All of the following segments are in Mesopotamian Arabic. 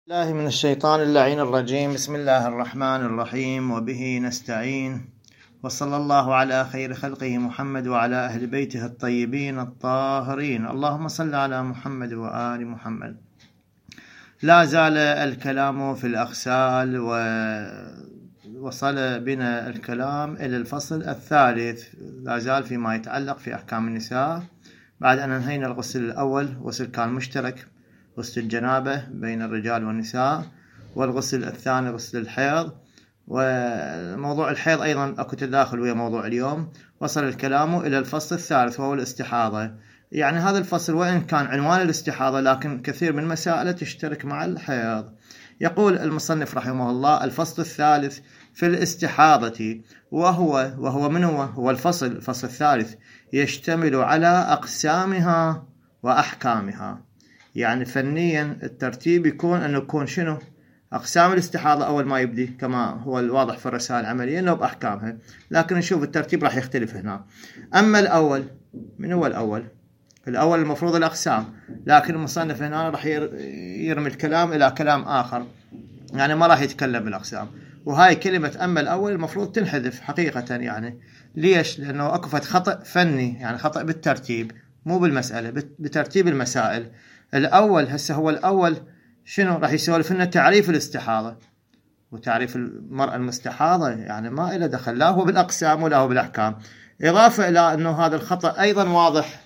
الله من الشيطان اللعين الرجيم. بسم الله الرحمن الرحيم، وبه نستعين، وصلى الله على خير خلقه محمد وعلى أهل بيته الطيبين الطاهرين. اللهم صل على محمد وآل محمد. لا زال الكلام في الأغسال، ووصل بنا الكلام إلى الفصل الثالث، لا زال فيما يتعلق في أحكام النساء، بعد أن انهينا الغسل الأول، غسل كان مشترك، غسل الجنابة بين الرجال والنساء، والغسل الثاني غسل الحيض. وموضوع الحيض أيضا أكو تداخل ويا موضوع اليوم. وصل الكلام إلى الفصل الثالث وهو الاستحاضة. يعني هذا الفصل وإن كان عنوان الاستحاضة، لكن كثير من مسائله تشترك مع الحيض. يقول المصنف رحمه الله: الفصل الثالث في الاستحاضة، وهو من هو الفصل الثالث يشتمل على أقسامها وأحكامها. يعني فنيا الترتيب يكون أنه يكون شنو؟ أقسام الاستحاضة أول ما يبدي، كما هو الواضح في الرسائل العملية أنه بأحكامها، لكن نشوف الترتيب راح يختلف هنا. أما الأول، من هو الأول؟ الأول المفروض الأقسام، لكن المصنف هنا راح يرمي الكلام إلى كلام آخر، يعني ما راح يتكلم بالأقسام. وهاي كلمة أما الأول المفروض تنحذف حقيقة. يعني ليش؟ لأنه أكفت خطأ فني، يعني خطأ بالترتيب، مو بالمسألة، بترتيب المسائل. الأول هسه هو الأول شنو؟ راح يسولف لنا تعريف الاستحاضة وتعريف المرأة المستحاضة، يعني ما إلى دخل لا هو بالأقسام ولا هو بالأحكام. إضافة إلى أنه هذا الخطأ أيضا واضح.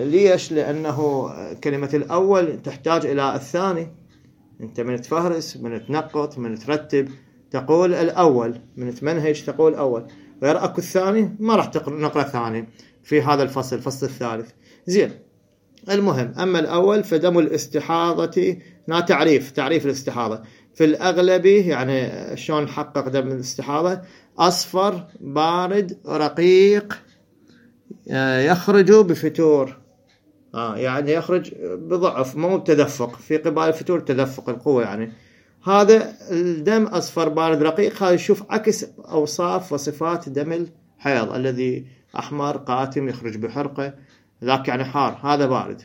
ليش؟ لأنه كلمة الأول تحتاج إلى الثاني. أنت من تفهرس، من تنقط، من ترتب تقول الأول، من تمنهج تقول أول، غير أكو الثاني ما راح نقرأ ثاني في هذا الفصل الثالث. زين، المهم، أما الأول فدم الاستحاضة، تعريف الاستحاضة في الأغلب، يعني شلون نحقق دم الاستحاضة؟ أصفر بارد رقيق يخرج بفتور، يعني يخرج بضعف، مو بتدفق، في قبال الفتور تدفق القوة. يعني هذا الدم أصفر بارد رقيق، هذا يشوف عكس أوصاف وصفات دم الحيض الذي أحمر قاتم يخرج بحرقة، ذاك يعني حار، هذا بارد.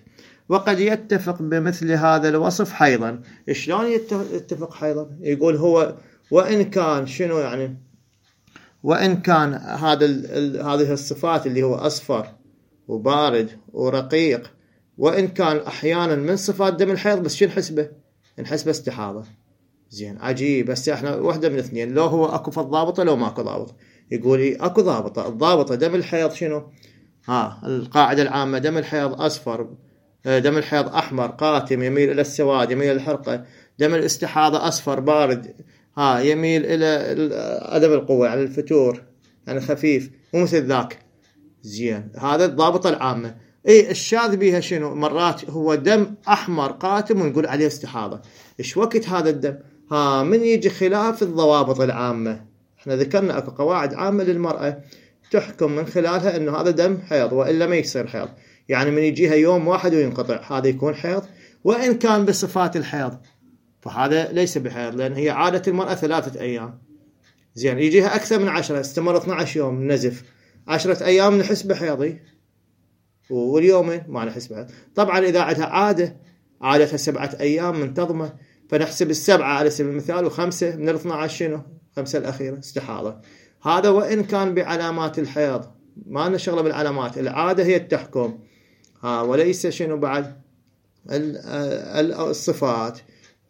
وقد يتفق بمثل هذا الوصف حيضا. شلون يتفق حيضا؟ يقول هو وإن كان شنو؟ يعني وإن كان هذه الصفات اللي هو أصفر وبارد ورقيق، وإن كان أحيانا من صفات دم الحيض، بس شو نحسبه استحاضة. زين، عجيب. بس احنا واحدة من اثنين، لو هو اكو في الضابطة لو ماكو ضابط. يقول اكو ضابطة، الضابطة دم الحيض شنو؟ القاعدة العامة دم الحيض أصفر، دم الحيض أحمر قاتم يميل إلى السواد، يميل إلى الحرقة. دم الاستحاضة أصفر بارد يميل إلى عدم القوة، على الفتور، يعني خفيف، مو مثل ذاك. زين، هذا الضابطة العامة. الشاذ بيها شنو؟ مرات هو دم أحمر قاتم ونقول عليه استحاضة. إيش وقت هذا الدم؟ من يجي خلاف الضوابط العامة. احنا ذكرنا اكو قواعد عامة للمرأة تحكم من خلالها انه هذا دم حيض، والا ما يصير حيض. يعني من يجيها يوم واحد وينقطع، هذا يكون حيض، وان كان بصفات الحيض فهذا ليس بحيض، لان هي عادة المرأة 3 أيام. زين، يجيها اكثر من 10، استمر 12 يوم نزف، 10 أيام نحس بحيضي، واليومين ما نحس بحيض. طبعا اذا عندها عادتها 7 أيام منتظمة، فنحسب 7 على سبيل المثال، و5 من 12 شنو؟ 5 الأخيرة استحاضة. هذا وإن كان بعلامات الحيض، ما نشغله بالعلامات، العادة هي التحكم، وليس شنو بعد الصفات.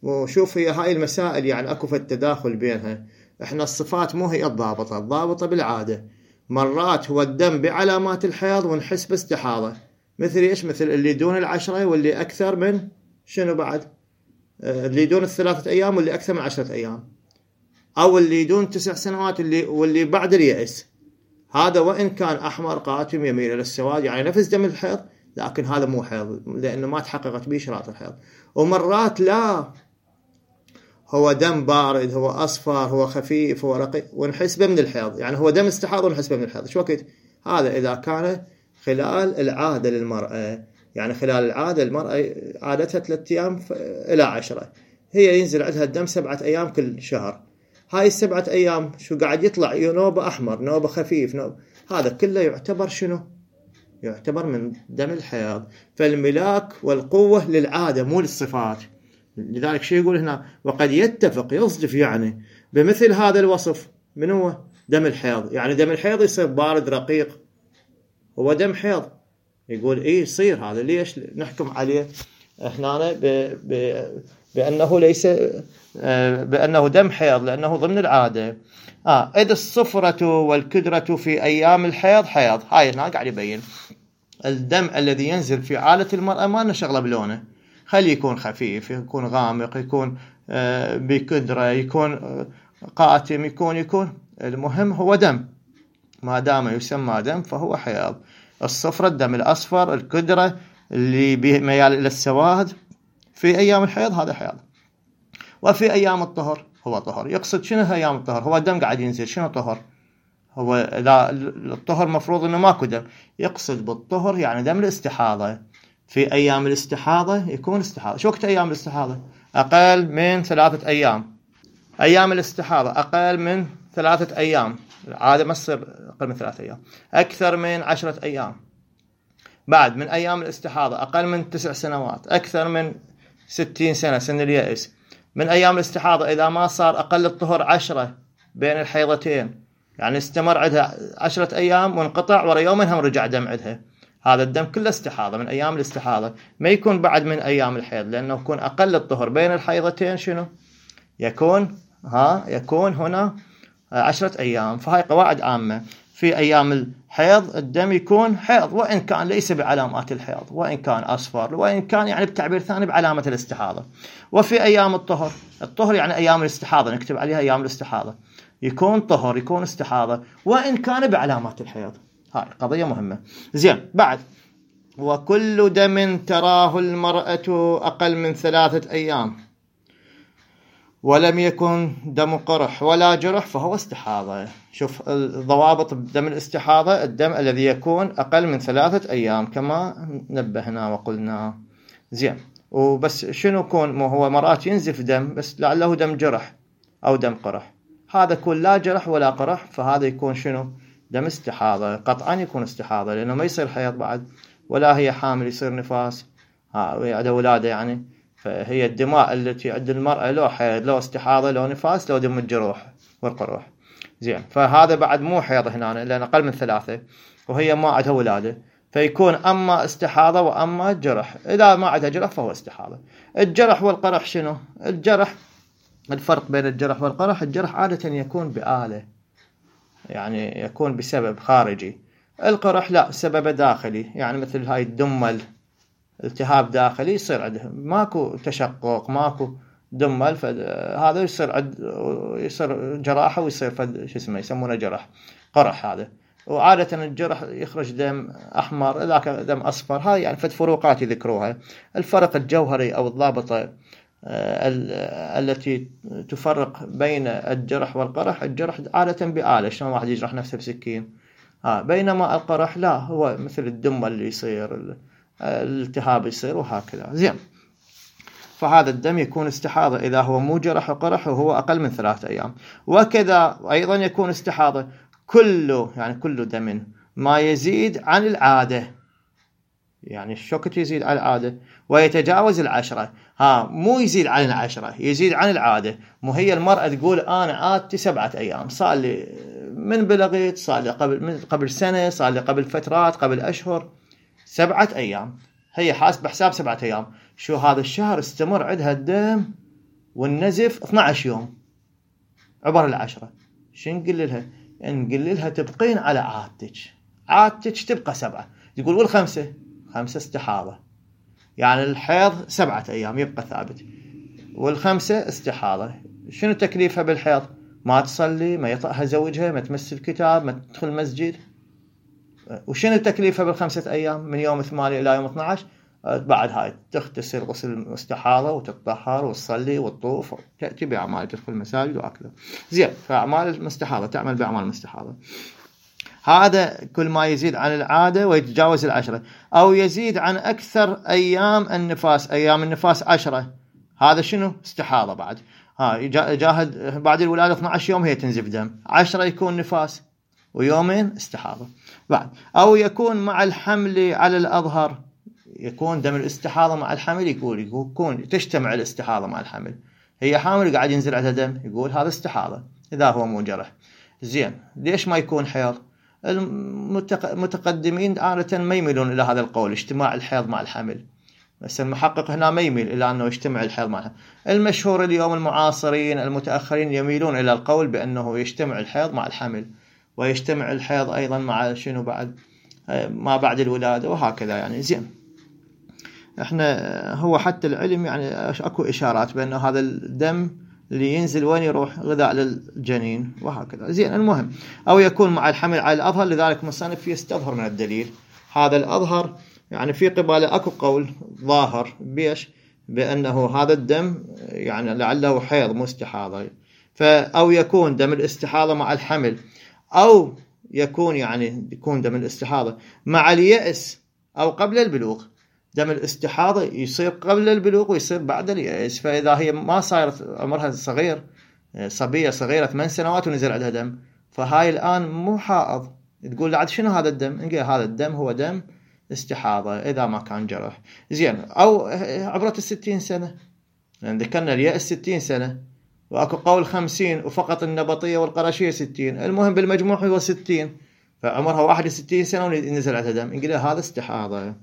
وشوف هي هاي المسائل يعني اكو في التداخل بينها. احنا الصفات مو هي الضابطة بالعادة. مرات هو الدم بعلامات الحيض ونحس باستحاضة، مثل ايش؟ مثل اللي دون 10 واللي اكثر من شنو بعد؟ اللي دون 3 أيام واللي اكثر من 10 أيام، او اللي دون 9 سنوات واللي بعد اليأس. هذا وإن كان أحمر قاتم يميل إلى السواد، يعني نفس دم الحيض، لكن هذا مو حيض لأنه ما تحققت به شرائط الحيض. ومرات لا، هو دم بارد، هو أصفر، هو خفيف، هو رقيق، ونحسبه من الحيض. يعني هو دم استحاضة ونحسبه من الحيض. شو وقت؟ هذا إذا كان خلال العادة للمرأة. يعني خلال العادة المرأة عادتها 3 أيام إلى 10، هي ينزل عندها الدم 7 أيام كل شهر. هاي 7 أيام شو قاعد يطلع؟ نوبة أحمر، نوبة خفيف، هذا كله يعتبر شنو؟ يعتبر من دم الحيض. فالملاك والقوة للعادة مو للصفات. لذلك شو يقول هنا؟ وقد يتفق يصدف يعني بمثل هذا الوصف. من هو؟ دم الحيض. يعني دم الحيض يصير بارد رقيق، هو دم حيض. يقول يصير هذا. ليش نحكم عليه احنا بأنه ليس بأنه دم حيض؟ لأنه ضمن العادة. إذ الصفرة والكدرة في أيام الحيض حيض. هاي هنا قاعد يبين الدم الذي ينزل في عالة المرأة ما لنا شغلة بلونه، خلي يكون خفيف، يكون غامق، يكون بكدرة، يكون قاتم، يكون المهم هو دم. ما دام يسمى دم فهو حيض. الصفرة الدم الأصفر، الكدرة اللي بميال إلى السواد في أيام الحيض هذا حيض. وفي أيام الطهر هو طهر. يقصد شنو أيام الطهر؟ هو الدم قاعد ينزل، شنو طهر؟ هو لا الطهر مفروض إنه ماكو دم. يقصد بالطهر يعني دم الاستحاضة. في أيام الاستحاضة يكون استحاضة. شو وقت أيام الاستحاضة؟ أقل من 3 أيام. أيام الاستحاضة أقل من 3 أيام. العادة ما تصير أقل من 3 أيام. أكثر من 10 أيام. بعد من أيام الاستحاضة أقل من 9 سنوات. أكثر من 60 سنة، سن اليأس. من أيام الاستحاضة إذا ما صار أقل الطهر 10 بين الحيضتين، يعني استمر عندها 10 أيام وانقطع ورا يومين هم رجع دم عندها، هذا الدم كله استحاضة من أيام الاستحاضة. ما يكون بعد من أيام الحيض، لأنه يكون أقل الطهر بين الحيضتين شنو؟ يكون هنا 10 أيام. فهاي قواعد عامة. في أيام الحيض الدم يكون حيض، وإن كان ليس بعلامات الحيض، وإن كان أصفر، وإن كان يعني بتعبير ثاني بعلامة الاستحاضة. وفي أيام الطهر يعني أيام الاستحاضة، نكتب عليها أيام الاستحاضة، يكون طهر، يكون استحاضة، وإن كان بعلامات الحيض. هاي قضية مهمة. زين. بعد وكل دم تراه المرأة أقل من 3 أيام ولم يكن دم قرح ولا جرح فهو استحاضة. شوف الضوابط دم الاستحاضة: الدم الذي يكون أقل من 3 أيام كما نبهنا وقلنا. زين. وبس شنو يكون؟ هو مرات ينزف دم بس لعله دم جرح أو دم قرح، هذا يكون لا جرح ولا قرح، فهذا يكون شنو؟ دم استحاضة. قطعا يكون استحاضة، لأنه ما يصير حيض بعد، ولا هي حامل يصير نفاس، وعندها ولادة يعني. فهي الدماء التي عند المرأة لو حيض لو استحاضة لو نفاس لو دم الجروح والقروح. زين. فهذا بعد مو حيض هنا لأن أقل من 3، وهي ما عندها ولادة، فيكون أما استحاضة وأما جرح. إذا ما عندها جرح فهو استحاضة. الجرح والقرح شنو؟ الجرح، الفرق بين الجرح والقرح: الجرح عادة يكون بآلة، يعني يكون بسبب خارجي. القرح لا، سبب داخلي، يعني مثل هاي الدمل، التهاب داخلي يصير عنده، ماكو تشقق، ماكو دمل، فهذا يصير جراحة ويصير شو اسمه يسمونه جرح قرح هذا. وعادة الجرح يخرج دم أحمر، ذاك دم أصفر. هاي يعني فد فروقات يذكروها. الفرق الجوهري أو الضابطة التي تفرق بين الجرح والقرح: الجرح عادة بآلة، شلون واحد يجرح نفسه بسكين، بينما القرح لا، هو مثل الدم اللي يصير، الالتهاب يصير وهكذا. زين. فهذا الدم يكون استحاضة إذا هو مو جرح وقرح وهو أقل من 3 أيام. وكذا أيضا يكون استحاضة كل دم ما يزيد عن العادة، يعني الشوكت يزيد عن العادة ويتجاوز 10. مو يزيد عن 10، يزيد عن العادة. مو هي المرأة تقول أنا عادتي 7 أيام، صار لي من بلغت، صار لي قبل سنة، صار لي قبل فترات، قبل أشهر، 7 أيام. هي حاسبة حساب 7 أيام. شو هذا الشهر استمر عندها الدم والنزف 12 يوم عبر 10. شو نقول لها؟ نقول لها تبقين على عادتك تبقى 7. تقول والخمسة استحاضة، يعني الحيض 7 أيام يبقى ثابت، والخمسة استحاضة. شنو تكليفها بالحيض؟ ما تصلي، ما يطأها زوجها، ما تمس الكتاب، ما تدخل المسجد. وشنو تكليفها بال5 أيام من يوم 8 إلى يوم 12؟ بعد هاي تغتسل غسل المستحاضة وتتطهر وتصلي وتطوف، تأتي بأعمال، تدخل المساجد وأكله. زين. فأعمال المستحاضة تعمل بأعمال المستحاضة. هذا كل ما يزيد عن العادة ويتجاوز 10، أو يزيد عن أكثر أيام النفاس. أيام النفاس 10، هذا شنو؟ استحاضة بعد. جاهد بعد الولادة 12 يوم هي تنزف دم، 10 يكون نفاس، ويومين استحاضة بعد. أو يكون مع الحمل على الأظهر، يكون دم الاستحاضة مع الحمل، يكون تجتمع الاستحاضة مع الحمل، هي حامل قاعد ينزل عندها دم، يقول هذا استحاضة إذا هو مو جرح. زين ليش ما يكون حيض؟ المتقدمين عادة ما يميلون إلى هذا القول، اجتماع الحيض مع الحمل، بس المحقق هنا ما يميل إلى أنه يجتمع الحيض مع الحمل. المشهور اليوم المعاصرين المتأخرين يميلون إلى القول بأنه يجتمع الحيض مع الحمل، ويجتمع الحيض أيضا مع شنو بعد، ما بعد الولادة وهكذا يعني. زين احنا هو حتى العلم يعني اكو اشارات بانه هذا الدم اللي ينزل وين يروح؟ غذاء للجنين وهكذا. زين المهم او يكون مع الحمل على الاظهر، لذلك مصنف يستظهر من الدليل هذا الاظهر، يعني في قباله اكو قول ظاهر بيش بانه هذا الدم يعني لعله حيض مو استحاضه، او يكون دم الاستحاضه مع الحمل، او يكون يعني يكون دم الاستحاضه مع اليأس او قبل البلوغ. دم الاستحاضة يصير قبل البلوغ ويصير بعد اليأس، فإذا هي ما صارت عمرها صغير، صبية صغيرة 8 سنوات ونزل عندها دم، فهاي الآن مو حائض، تقول لعد شنو هذا الدم؟ نقول هذا الدم هو دم استحاضة إذا ما كان جرح. زين أو عبرت 60 سنة، لأن ذكرنا اليأس 60 سنة، وأكو قول 50 وفقط النبطية والقرشية 60، المهم بالمجموع هو 60، فعمرها 61 سنة ونزل عندها دم، نقول هذا استحاضة.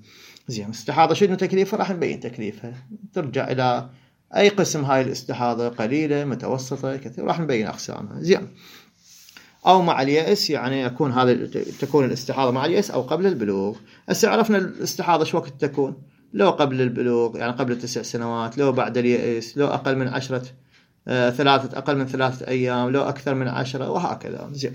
زين استحاضة شنو تكليفها؟ راح نبين تكليفها، ترجع إلى أي قسم هاي الاستحاضة، قليلة متوسطة كثير، راح نبين أقسامها. زين أو مع اليأس، يعني يكون هذا تكون الاستحاضة مع اليأس أو قبل البلوغ. هسه عرفنا الاستحاضة شو وقت تكون، لو قبل البلوغ يعني قبل 9 سنوات، لو بعد اليأس، لو أقل من 10 أقل من 3 أيام، لو أكثر من 10 وهكذا. زين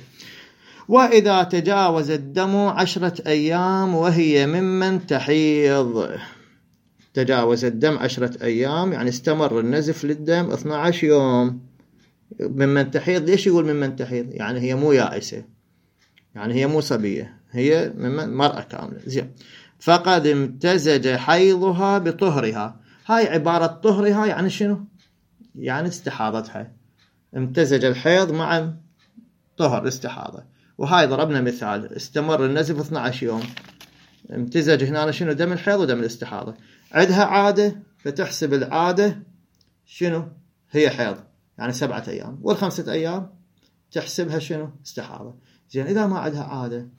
وإذا تجاوز الدم 10 أيام وهي ممن تحيض، تجاوز الدم 10 أيام يعني استمر النزف للدم 12 يوم، ممن تحيض. ليش يقول ممن تحيض؟ يعني هي مو يائسة، يعني هي مو صبية، هي ممن مرأة كاملة. زين فقد امتزج حيضها بطهرها. هاي عبارة طهرها يعني شنو؟ يعني استحاضتها، امتزج الحيض مع طهر استحاضة. وهاي ضربنا مثال، استمر النزف 12 يوم، امتزج هنا شنو؟ دم الحيض ودم الاستحاضة. عندها عادة فتحسب العادة شنو؟ هي حيض، يعني 7 أيام، وال5 أيام تحسبها شنو؟ استحاضة. زين إذا ما عندها عادة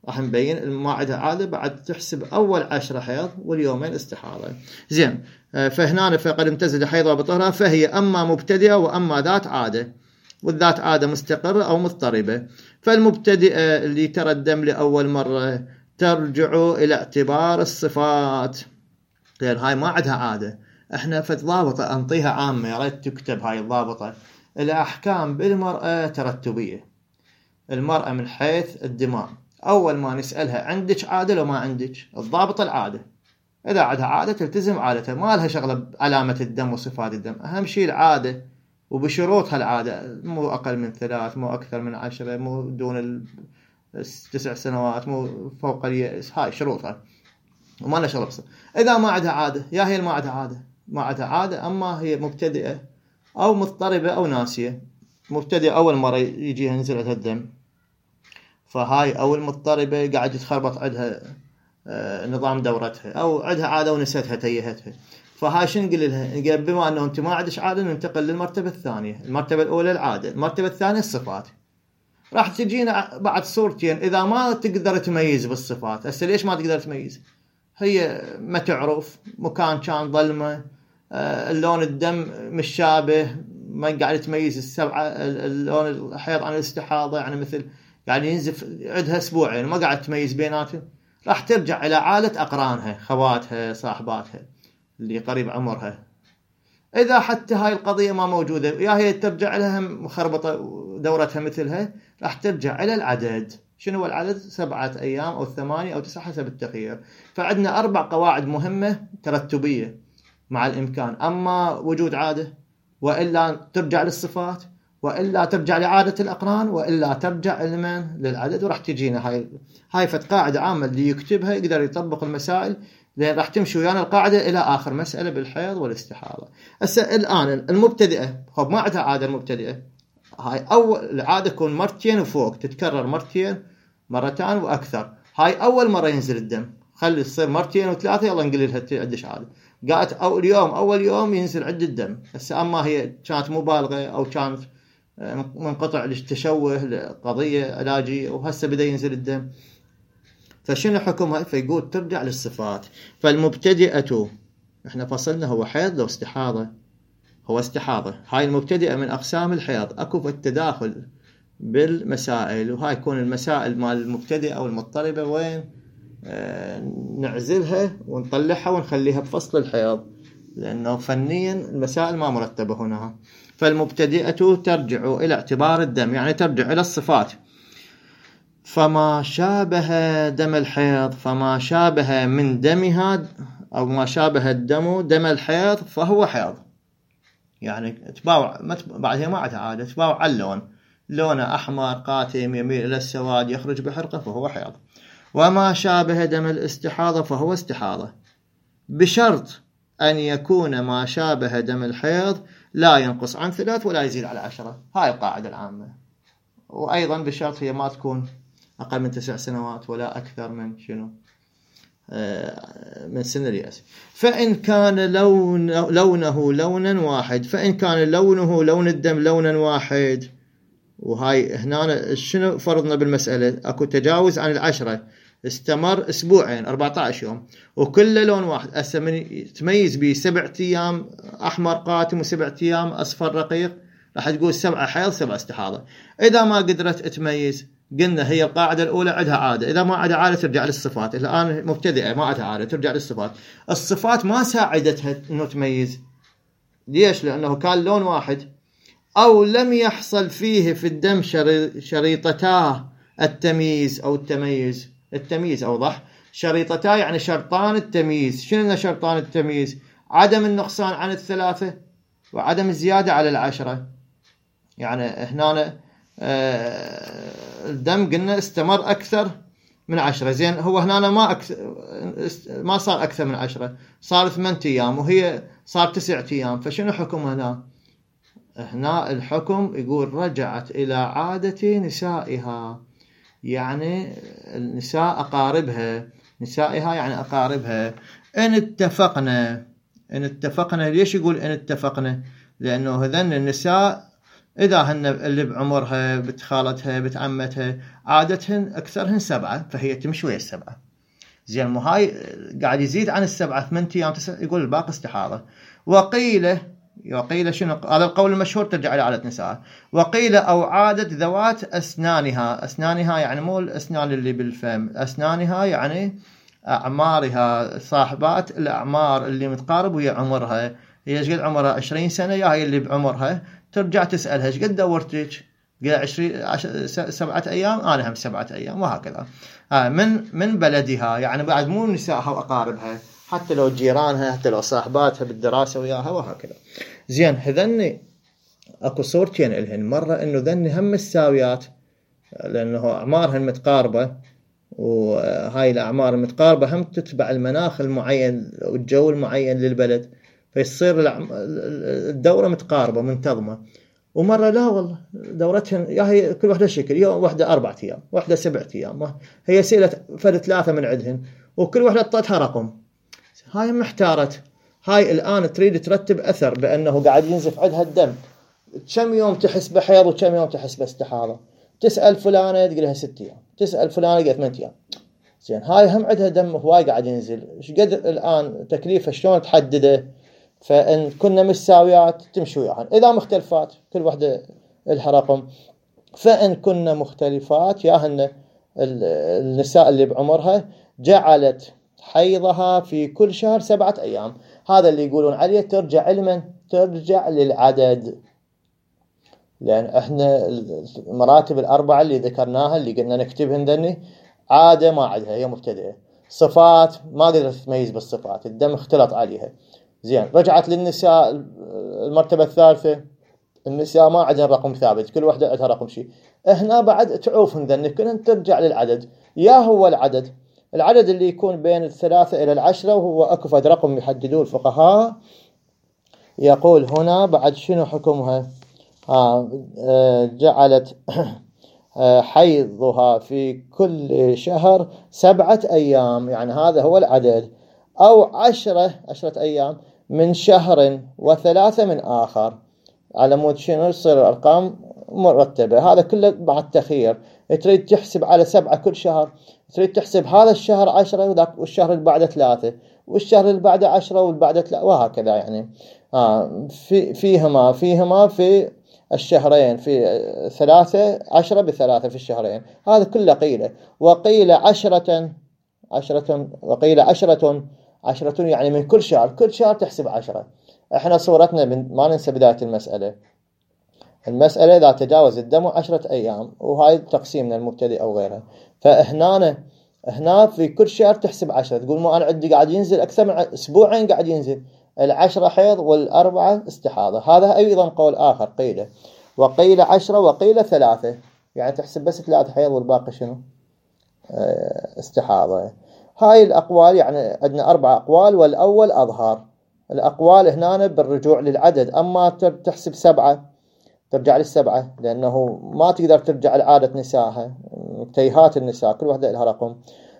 راح نبين ما عندها عادة، بعد تحسب أول 10 حيض واليومين استحاضة. زين فهنا فقد امتزج حيضها بطهرها، فهي أما مبتدئة وأما ذات عادة، والذات عادة مستقرة أو مضطربة. فالمبتدئة اللي ترى الدم لأول مرة ترجع إلى اعتبار الصفات، لأن هاي ما عندها عادة. احنا ضابطة أنطيها عامة، يا ريت تكتب هاي الضابطة. الأحكام بالمرأة ترتبية. المرأة من حيث الدماء أول ما نسألها عندك عادة لو ما عندك؟ الضابطة العادة، إذا عندها عادة تلتزم عادتها، ما لها شغلة بعلامة الدم وصفات الدم، أهم شيء العادة وبشروطها. العادة مو أقل من 3، مو أكثر من 10، مو دون 9 سنوات، مو فوق اليأس، هاي شروطها وما لها شغلة بس. إذا ما عندها عادة، يا هي ما عندها عادة، ما عندها عادة، أما هي مبتدئة أو مضطربة أو ناسية. مبتدئة أول مرة يجيها ينزل عندها الدم، فهاي أول مضطربة قاعد يتخربط عندها نظام دورتها، أو عندها عادة ونسيتها تيهتها، فهاي شنو نقول لها؟ نقول بما أنه أنت ما عندك عادة ننتقل للمرتبة الثانية. المرتبة الأولى العادة، المرتبة الثانية الصفات. راح تجينا بعد صورتين إذا ما تقدر تميز بالصفات. هسه ليش ما تقدر تميز؟ هي ما تعرف، مكان كان ظلمة، اللون الدم مش شابه، ما قاعد تميز السبعة اللون الحيض عن الاستحاضة، يعني مثل يعني ينزف عندها أسبوعين ما قاعد تميز بيناتهم. راح ترجع إلى عالة أقرانها، خواتها، صاحباتها اللي قريب عمرها. إذا حتى هاي القضية ما موجودة، يا هي ترجع لها مخربطة دورتها مثلها، راح ترجع إلى العدد. شنو هو العدد؟ 7 أيام أو 8 أو 9 حسب التخيير. فعندنا 4 قواعد مهمة ترتبية مع الإمكان، أما وجود عادة، وإلا ترجع للصفات، وإلا ترجع لعادة الأقران، وإلا ترجع للعدد. وراح تجينا هاي فت قاعدة عامة اللي يكتبها يقدر يطبق المسائل، لأن راح تمشي ويانا القاعدة إلى آخر مسألة بالحيض والاستحاضة. الآن المبتدئة خب ما عندها عادة. المبتدئة هاي أول العادة تكون 2 مرتين وفوق، تتكرر 2 مرتين وأكثر. هاي أول مرة ينزل الدم، خلي تصير مرتين وثلاثة يلا نقول لها عندش عادة. قالت أول يوم ينزل عند الدم. هسه أما هي كانت مبالغة أو كانت منقطع للتشوه لقضية علاجية وهسه بدأ ينزل الدم، فشنو حكمها؟ فيقول ترجع للصفات. فالمبتدئة احنا فصلنا هو حيض لو استحاضة؟ هو استحاضة. هاي المبتدئة من أقسام الحيض، أكو في التداخل بالمسائل، وهاي يكون المسائل مال المبتدئة أو المضطربة وين نعزلها ونطلعها ونخليها بفصل الحيض، لأنه فنيا المسائل ما مرتبة هنا. فالمبتدئة ترجع إلى اعتبار الدم، يعني ترجع إلى الصفات. فما شابه دم الحيض، فما شابه من دمها أو ما شابه الدم دم الحيض فهو حيض. يعني تباوع بعدها ما عندها عادة، تباوع على اللون، لونه أحمر قاتم يميل إلى السواد يخرج بحرقة فهو حيض. وما شابه دم الاستحاضة فهو استحاضة، بشرط أن يكون ما شابه دم الحيض لا ينقص عن 3 ولا يزيد على 10. هاي القاعدة العامة. وأيضا بشرط هي ما تكون أقل من 9 سنوات ولا أكثر من من سن اليأس. فإن كان لونه لونا واحد، فإن كان لونه لون الدم لونا واحد، وهاي هنا شنو فرضنا بالمسألة؟ أكو تجاوز عن 10 استمر أسبوعين 14 يوم وكل لون واحد، تميز به 7 أيام أحمر قاتم و7 أيام أصفر رقيق، راح تقول 7 حيض 7 استحاضة. إذا ما قدرت تميز قلنا هي القاعدة الأولى عندها عادة، إذا ما عندها عادة ترجع للصفات. الآن مبتدئة ما عندها عادة ترجع للصفات. الصفات ما ساعدتها إنه تميز. ليش؟ لأنه كان لون واحد أو لم يحصل فيه في الدم شريطتا التمييز أو التميز. التمييز أوضح. شريطتا يعني شرطان التمييز. شنو شرطان التمييز؟ عدم النقصان عن 3 وعدم الزيادة على 10. يعني هنا الدم قلنا استمر أكثر من 10. زين هو هنا ما صار أكثر من 10، صار 8 أيام وهي صار 9 أيام. فشنو حكم هنا؟ هنا الحكم يقول رجعت إلى عادة نسائها، يعني النساء أقاربها. نسائها يعني أقاربها. إن اتفقنا. ليش يقول إن اتفقنا؟ لأنه هذن النساء إذا هن اللي بعمرها بنت خالتها بنت عمتها عادتهن أكثرهن 7، فهي تمشي ويا 7. زين مو هاي قاعد يزيد عن 7 8 أيام 9، يقول الباقي استحاضة. وقيل شنو؟ هذا القول المشهور ترجع إلى عادة نساء. وقيل أو عادة ذوات أسنانها. أسنانها يعني مو الأسنان اللي بالفم، أسنانها يعني أعمارها، صاحبات الأعمار اللي متقارب ويا عمرها. هي ايش قد عمرها 20 سنة، يا هي اللي بعمرها ترجع تسألها ايش قد دورتك؟ قال 7 أيام، أنا هم 7 أيام، وهكذا. من بلدها، يعني بعد مو نسائها وأقاربها، حتى لو جيرانها، حتى لو صاحباتها بالدراسة وياها، وهكذا. زين هذني اكو صورتين لهن. مرة انه ذني هم الساويات لانه اعمارهن متقاربة، وهاي الاعمار المتقاربة هم تتبع المناخ المعين والجو المعين للبلد، فيصير الدورة متقاربة منتظمة. ومرة لا والله دورتهن يا هي كل واحدة شكل، يوم واحدة 4 أيام، واحدة 7 أيام، هي سئلت فرد 3 من عندهن وكل واحدة اعطتها رقم. هاي محتارت. هاي الآن تريد ترتب أثر بأنه قاعد ينزف عندها الدم، كم يوم تحس بحيض وكم يوم تحس باستحاضة. تسأل فلانة تقولها 6 أيام، تسأل فلانة قالت 8 أيام. زين هاي هم عندها دم هواي قاعد ينزل، ايش قد الآن تكليفها شلون تحدده؟ فإن كنا متساويات تمشي وياهن، إذا مختلفات كل واحدة لها رقم. فإن كنا مختلفات ياهن النساء اللي بعمرها جعلت حيضها في كل شهر 7 أيام. هذا اللي يقولون عليه ترجع علما، ترجع للعدد. لأن احنا المراتب الأربعة اللي ذكرناها اللي قلنا نكتبهن ذني عادة ما عندها، هي مبتدئة. صفات ما قدرت تميز بالصفات، الدم اختلط عليها. زين رجعت للنساء المرتبة الثالثة، النساء ما عندها رقم ثابت، كل واحدة عندها رقم شيء. هنا بعد تعوفن ذني كلهن ترجع للعدد. يا هو العدد اللي يكون بين 3 إلى 10، وهو أكفد رقم يحددوه الفقهاء. يقول هنا بعد شنو حكمها؟ جعلت حيضها في كل شهر 7 أيام، يعني هذا هو العدد، أو 10 أيام من شهر و3 من آخر، على مود شنو يصير الأرقام مرتبة. هذا كله مع التخيير. تريد تحسب على 7 كل شهر، تريد تحسب هذا الشهر 10 وذاك والشهر اللي بعده 3 والشهر اللي بعده 10 واللي بعده 3 وهكذا يعني. فيهما في الشهرين، في 3 10 ب3 في الشهرين. هذا كله قيلة. وقيل 10 وقيل 10 يعني من كل شهر تحسب 10. احنا صورتنا ما ننسى بداية المسألة إذا تجاوز الدم 10 أيام، وهاي تقسيمنا المبتدئ أو غيرها. هنا في كل شهر تحسب 10. تقول ما أنا عندي قاعد ينزل أكثر من أسبوعين، قاعد ينزل 10 حيض وال4 استحاضة. هذا أيضا قول آخر قيله. وقيل 10 وقيل 3، يعني تحسب بس 3 حيض والباقي شنو؟ استحاضة. هاي الأقوال، يعني عندنا 4 أقوال، والأول أظهر. الأقوال هنا بالرجوع للعدد. أما تحسب 7 ترجع لل7، لأنه ما تقدر ترجع لعادة نسائها، تيهات النساء كل واحدة لها رقم.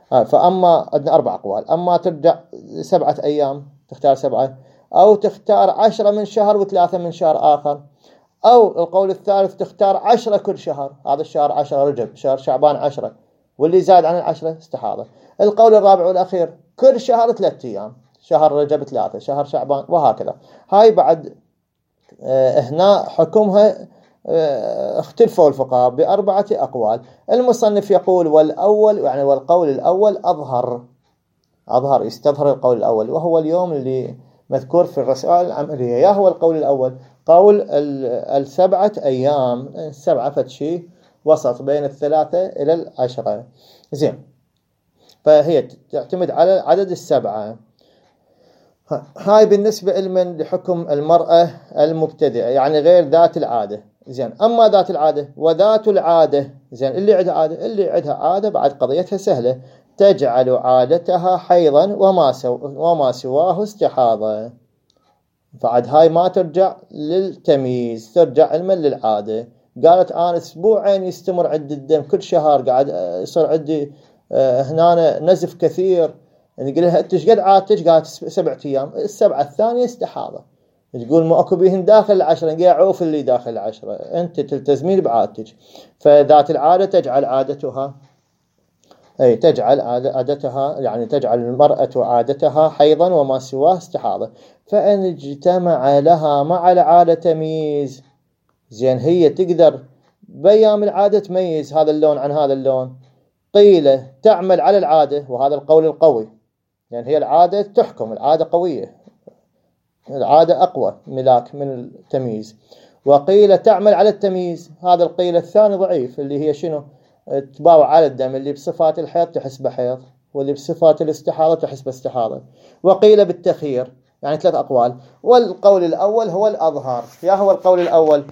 فأما عندنا 4 أقوال. أما ترجع 7 أيام تختار 7، أو تختار 10 من شهر و3 من شهر آخر، أو القول الثالث تختار 10 كل شهر. هذا الشهر 10 رجب، شهر شعبان 10، واللي زاد عن 10 استحاضة. القول الرابع والأخير كل شهر 3 أيام، شهر رجب 3، شهر شعبان، وهكذا. هاي بعد هنا حكمها اختلفوا الفقهاء ب4 أقوال. المصنف يقول والأول، يعني والقول الأول أظهر يستظهر القول الأول، وهو اليوم اللي مذكور في الرسائل العملية. يا هو القول الأول قول 7 أيام، 7 فتشي وسط بين 3 إلى 10. زين، فهي تعتمد على عدد 7. هاي بالنسبة لحكم المرأة المبتدئة، يعني غير ذات العادة. زين، أما ذات العادة وذات العادة، زين، اللي عندها عادة بعد قضيتها سهلة، تجعل عادتها حيضا وما سواه استحاضة. بعد هاي ما ترجع للتمييز، ترجع علما للعادة. قالت أنا أسبوعين يستمر عندي الدم، كل شهر قاعد يصير عندي هنا نزف كثير. يعني قال لها أنت ايش قد عادتك؟ قالت 7 أيام. 7 الثانية استحاضة. تقول ما أكو بيهن داخل 10، قاعد عوف اللي داخل 10، أنت تلتزمين بعادتك. فذات العادة تجعل عادتها، يعني تجعل المرأة عادتها حيضا وما سواه استحاضة. فإن اجتمع لها مع العادة تمييز، زين، هي تقدر بأيام العادة تميز هذا اللون عن هذا اللون. قيل تعمل على العادة، وهذا القول القوي، يعني هي العادة تحكم، العادة قوية، العادة أقوى ملاك من التمييز. وقيل تعمل على التمييز، هذا القيل الثاني ضعيف، اللي هي شنو؟ تباوع على الدم، اللي بصفات الحيض تحسب حيض، واللي بصفات الاستحاضة تحسب استحاضة. وقيل بالتخيير، يعني 3 أقوال. والقول الأول هو الأظهر. يا هو القول الأول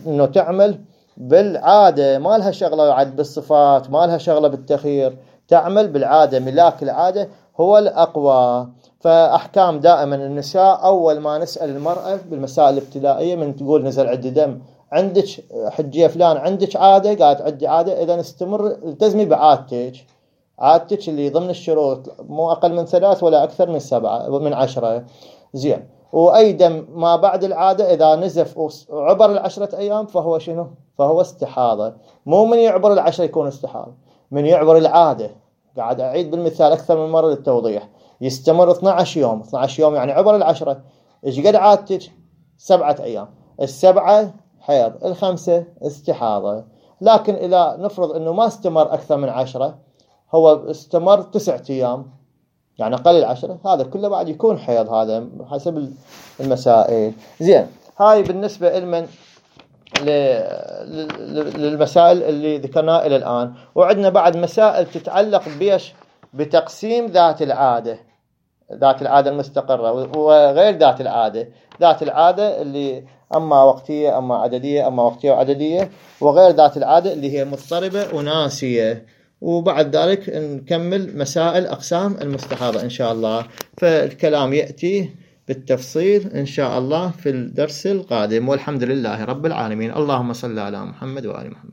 إنه تعمل بالعادة، ما لها شغلة عاد بالصفات، ما لها شغلة بالتخيير، تعمل بالعادة، ملاك العادة هو الأقوى. فأحكام دائما النساء، أول ما نسأل المرأة بالمسائل الابتدائية، من تقول نزل عندي دم، عندك حجية فلان، عندك عادة؟ قالت عندي عادة. إذا استمر التزمي عادتك اللي ضمن الشروط، مو أقل من 3 ولا أكثر من 7 من 10. زين، وأي دم ما بعد العادة إذا نزف وعبر 10 أيام فهو شنو؟ فهو استحاضة. مو من يعبر 10 يكون استحاضة، من يعبر العادة. قاعد أعيد بالمثال أكثر من مرة للتوضيح. يستمر 12 يوم، 12 يوم يعني عبر 10. إيش قد عادتك؟ 7 أيام. 7 حيض، 5 استحاضة. لكن إذا نفرض أنه ما استمر أكثر من 10، هو استمر 9 أيام، يعني قليل 10، هذا كله بعد يكون حيض، هذا حسب المسائل. زين، هاي بالنسبة للمسائل اللي ذكرناها إلى الآن. وعندنا بعد مسائل تتعلق بتقسيم ذات العادة المستقرة وغير ذات العادة. ذات العادة اللي أما وقتية أما عددية، أما وقتية وعددية، وغير ذات العادة اللي هي مضطربة وناسية. وبعد ذلك نكمل مسائل أقسام المستحاضة إن شاء الله. فالكلام يأتي بالتفصيل إن شاء الله في الدرس القادم، والحمد لله رب العالمين. اللهم صل على محمد وآل محمد.